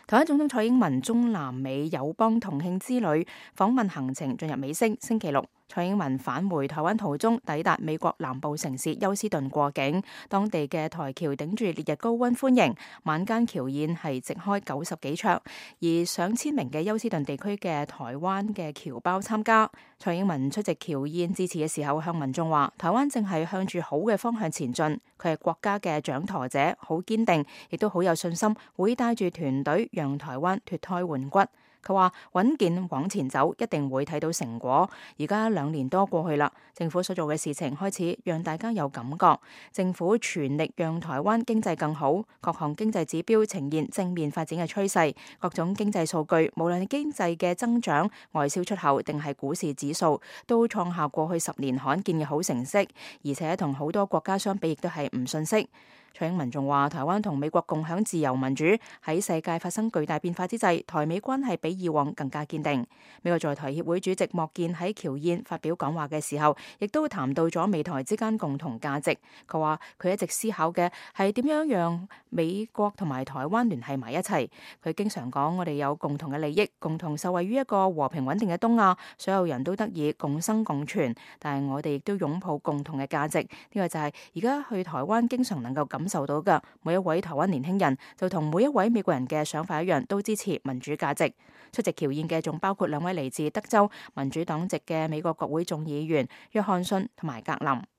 台灣總統蔡英文中南美友邦同慶之旅訪問行程進入尾聲，星期六蔡英文返回台灣途中抵達美國南部城市休斯頓過境，當地嘅台僑頂住烈日高溫歡迎，晚間僑宴係席開90幾桌，而上千名嘅休斯頓地區嘅台灣嘅僑胞參加。蔡英文出席僑宴致辭嘅時候向民眾話，台灣正係向住好嘅方向前進，佢係國家嘅掌舵者，好堅定，亦都好有信心，會帶住團隊讓台灣脫胎換骨。佢話穩健往前走，一定會睇到成果。而家2年多過去啦，政府所做嘅事情開始讓大家有感覺。政府全力讓台灣經濟更好，各項經濟指標呈現正面發展嘅趨勢，各種經濟數據，無論係經濟嘅增長、外銷出口定係股市指數，都創下過去10年罕見嘅好成績，而且同好多國家相比，亦都係唔遜色。蔡英文仲話，台灣同美國共享自由民主，喺世界發生巨大變化之際，台美關係比以往更加堅定。美國在台協會主席莫健喺僑宴發表講話嘅時候，亦都談到咗美台之間共同價值。佢話佢一直思考嘅係點樣讓美國同埋台灣聯繫埋一齊。佢經常講，我哋有共同嘅利益，共同受惠於一個和平穩定嘅東亞，所有人都得以共生共存。但係我哋亦都擁抱共同嘅價值。呢個就係而家去台灣經常能夠感受到嘅。每一位台灣年輕人就同每一位美國人嘅想法一樣，都支持民主價值。出席僑宴嘅仲包括2位嚟自德州民主黨籍嘅美國國會眾議員約翰遜同埋格林。